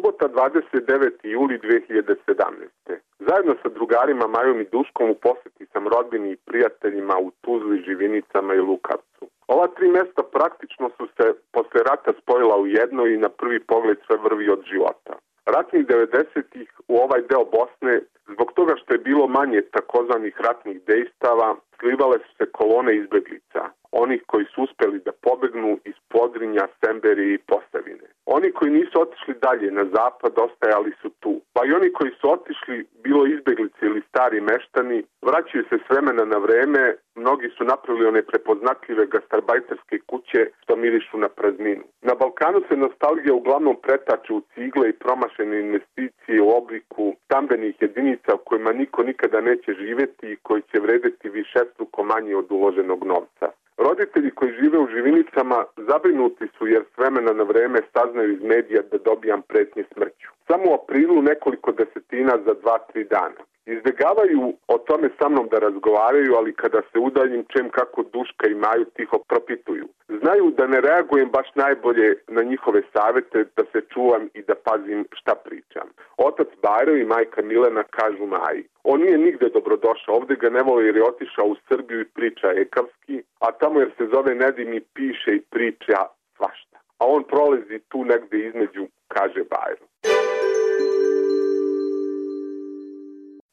Subota 29. juli 2017. Zajedno sa drugarima Majom i Duškom u poseti sam rodbini i prijateljima u Tuzli, Živinicama i Lukavcu. Ova tri mesta praktično su se posle rata spojila u jedno i na prvi pogled sve vrvi od života. Ratnih 90-ih u ovaj deo Bosne, zbog toga što je bilo manje takozvanih ratnih dejstava, slivale su se kolone izbeglica, onih koji su uspeli da pobegnu iz Podrinja, Semberije i Posavine. Oni koji nisu otišli dalje na zapad ostajali su tu, pa i oni koji su otišli, bilo izbeglice ili stari meštani, vraćaju se s vremena na vreme, mnogi su napravili one prepoznatljive gastarbajterske kuće što mirišu na prazninu. Na Balkanu se nostalgija uglavnom pretače u cigle i promašene investicije u obliku stambenih jedinica u kojima niko nikada neće živjeti i koji će vredeti višestruko manje od uloženog novca. Roditelji koji žive u Živinicama zabrinuti su jer s vremena na vreme saznaju iz medija da dobijam pretnje smrću. Samo u aprilu nekoliko desetina za 2-3 dana. Izbjegavaju o tome sa mnom da razgovaraju, ali kada se udaljim čujem kako Duška i Maju tiho propituju. Znaju da ne reagujem baš najbolje na njihove savete, da se čuvam i da pazim šta pričam. Otac Bajro i majka Milena kažu Maji: on nije nigde dobrodošao, ovde ga ne vole jer je otišao u Srbiju i priča ekavski, a tamo jer se zove Nedim i piše i priča svašta. A on prolazi tu negde između, kaže Bajro.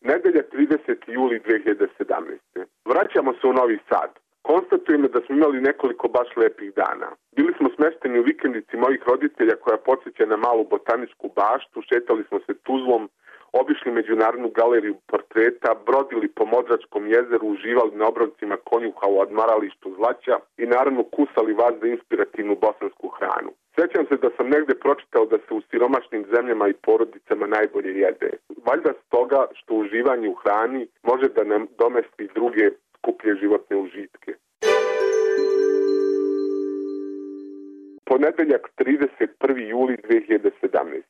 Nedelja 30. juli 2017. Vraćamo se u Novi Sad. Konstatujemo da smo imali nekoliko baš lepih dana. Bili smo smešteni u vikendici mojih roditelja koja podsjeća na malu botaničku baštu, šetali smo se Tuzlom, obišli Međunarodnu galeriju portreta, brodili po Modračkom jezeru, uživali na obrovcima konjuha u odmaralištu Zlaća i naravno kusali vas za inspirativnu bosansku hranu. Sjećam se da sam negde pročitao da se u siromašnim zemljama i porodicama najbolje jede. Valjda stoga što uživanje u hrani može da nam domesti druge skuplje životne užitke. Ponedeljak 31. juli 2017.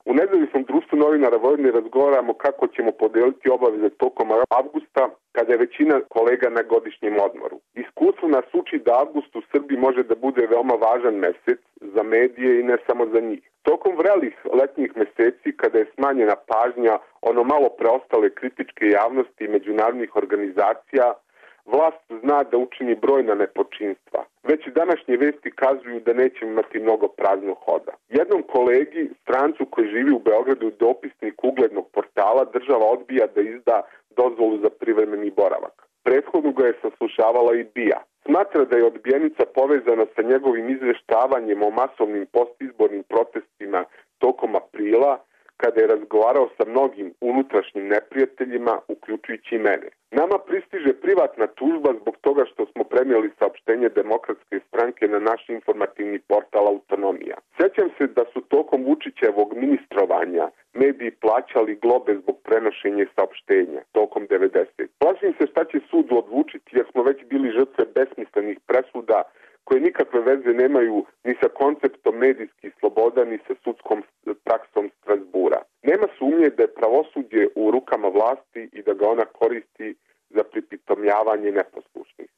U nezavisnom društvu novinara Vojvodine razgovaramo kako ćemo podeliti obaveze tokom avgusta kada je većina kolega na godišnjem odmoru. Iskustvo nas uči da avgust u Srbiji može da bude veoma važan mesec za medije i ne samo za njih. Tokom vrelih letnjih meseci kada je smanjena pažnja ono malo preostale kritičke javnosti i međunarodnih organizacija, vlast zna da učini brojna nepočinstva. Već i današnje vesti kazuju da nećemo imati mnogo praznog hoda. Jednom kolegi, strancu koji živi u Beogradu, dopisnik uglednog portala, država odbija da izda dozvolu za privremeni boravak. Prethodno ga je saslušavala i BIA. Smatra da je odbijenica povezana sa njegovim izveštavanjem o masovnim postizbornim protestima tokom aprila, kada je razgovarao sa mnogim unutrašnjim neprijateljima, uključujući i mene. Nama pristiže privatna tužba zbog toga što smo prenijeli saopštenje Demokratske stranke na naš informativni portal Autonomija. Sjećam se da su tokom Vučićevog ministrovanja mediji plaćali globe zbog prenošenja saopštenja tokom 90. Plašim se šta će sud odlučiti jer smo već bili žrtve besmislenih presuda koje nikakve veze nemaju ni sa konceptom medijskih sloboda ni sa sudskom praksom Strasbura. Nema sumnje da je pravosuđe u rukama vlasti i da ga ona koristi za pripitomljavanje neposlušnih.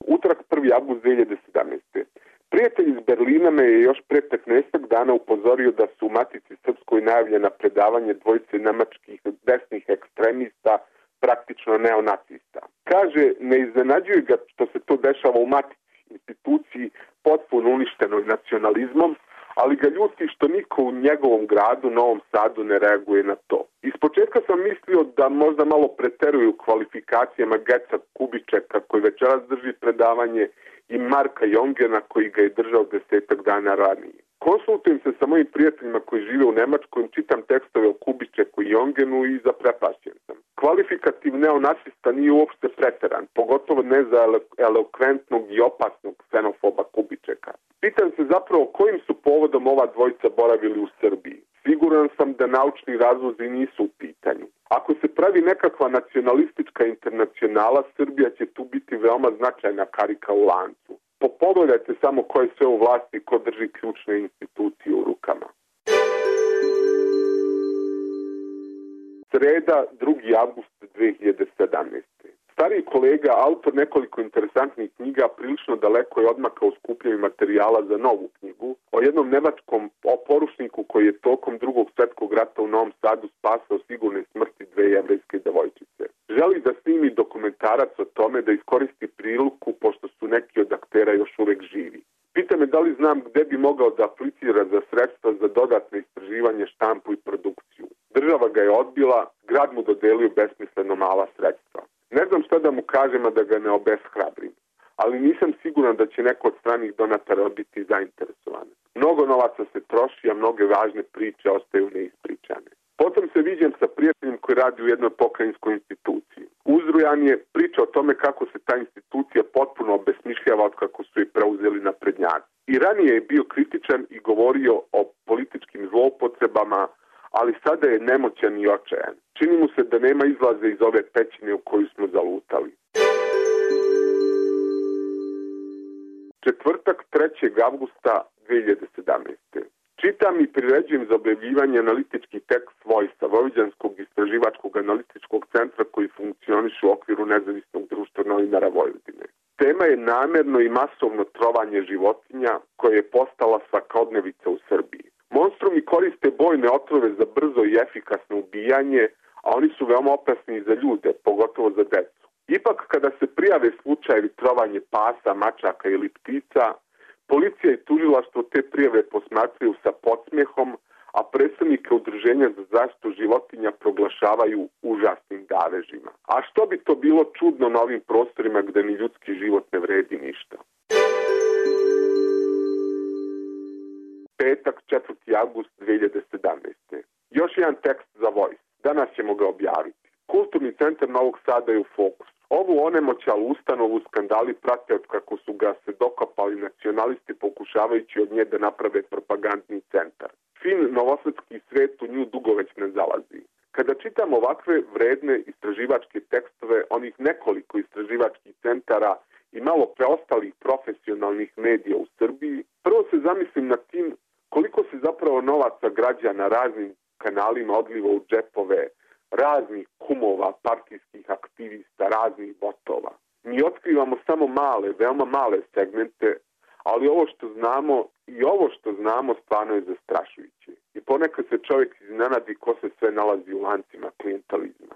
Utorak 1. avgust 2017. Prijatelj iz Berlina me je još pre 15 dana upozorio da su u Matici Srpskoj najavljena predavanje dvojice nemačkih desnih ekstremista, praktično neonacista. Kaže, ne iznenađuje ga što se to dešava u Matici, instituciji potpuno uništenoj nacionalizmom, ali ga ljuti što niko u njegovom gradu, Novom Sadu, ne reaguje na to. Ispočetka sam mislio da možda malo preteruju kvalifikacijama Geca Kubičeka koji večeras drži predavanje i Marka Jongena koji ga je držao 10 dana ranije. Konsultujem se sa mojim prijateljima koji žive u Nemačkoj, čitam tekstove o Kubičeku i Jongenu i zaprepašćen sam. Kvalifikativ neonacista nije uopšte preteran, pogotovo ne za elokventnog i opasnog ksenofoba Kubičeka. Pitam se zapravo kojim su povodom ova dvojica boravili u Srbiji. Siguran sam da naučni razlozi nisu u pitanju. Ako se pravi nekakva nacionalistička internacionala, Srbija će tu biti veoma značajna karika u lancu. Pogledajte samo ko je sve u vlasti, ko drži ključne institucije u rukama. Sreda, 2. avgust 2017. Stariji kolega, autor nekoliko interesantnih knjiga, prilično daleko je odmakao skupljanju materijala za novu knjigu, jednom nemačkom oporučniku koji je tokom Drugog svjetskog rata u Novom Sadu spasao sigurne smrti 2 jevrejske devojčice. Želi da snimi dokumentarac o tome, da iskoristi priliku pošto su neki od aktera još uvek živi. Pita me da li znam gde bi mogao da aplicira za sredstva za dodatne istraživanje, štampu i produkciju. Država ga je odbila, grad mu dodelio besmisleno mala sredstva. Ne znam šta da mu kažem, a da ga ne obeshrabrim, ali nisam siguran da će neko od stranih donatora biti zainteresovan. Mnogo novaca se troši, a mnoge važne priče ostaju neispričane. Potom se viđem sa prijateljem koji radi u jednoj pokrajinskoj instituciji. Uzrujan je priča o tome kako se ta institucija potpuno obesmišljava od kako su je preuzeli naprednjaci. I ranije je bio kritičan i govorio o političkim zloupotrebama, ali sada je nemoćan i očajan. Čini mu se da nema izlaza iz ove pećine u koju smo zalutali. Četvrtak, 3. avgusta 2017. Čitam i priređujem za objavljivanje analitički tekst Vojsa, Vojvođanskog istraživačkog analitičkog centra koji funkcioniše u okviru nezavisnog društva novinara Vojvodine. Tema je namerno i masovno trovanje životinja koje je postala svakodnevica u Srbiji. Monstrumi koriste bojne otrove za brzo i efikasno ubijanje, a oni su veoma opasni i za ljude, pogotovo za decu. Ipak, kada se prijave slučajevi trovanje pasa, mačaka ili ptica, policija i tužilaštvo te prijave posmatraju sa podsmjehom, a predstavnike udruženja za zaštitu životinja proglašavaju užasnim davežima. A što bi to bilo čudno na ovim prostorima gde ni ljudski život ne vredi ništa? Petak, 4. avgust 2017. Još jedan tekst za Voice. Danas ćemo ga objaviti. Kulturni centar Novog Sada je u fokusu. Ovu onemoćalu ustanovu skandali prate od kako su ga se dokopali nacionalisti pokušavajući od nje da naprave propagandni centar. Fin novosadski svet u nju dugo već ne zalazi. Kada čitam ovakve vredne istraživačke tekstove, onih nekoliko istraživačkih centara i malo preostalih profesionalnih medija u Srbiji, prvo se zamislim nad tim koliko se zapravo novaca građana raznim kanalima odliva u džepove raznih kumova, partijskih aktivista, raznih botova. Mi otkrivamo samo male, veoma male segmente, ali ovo što znamo stvarno je zastrašujuće. I ponekad se čovjek iznenadi ko se sve nalazi u lancima klijentalizma.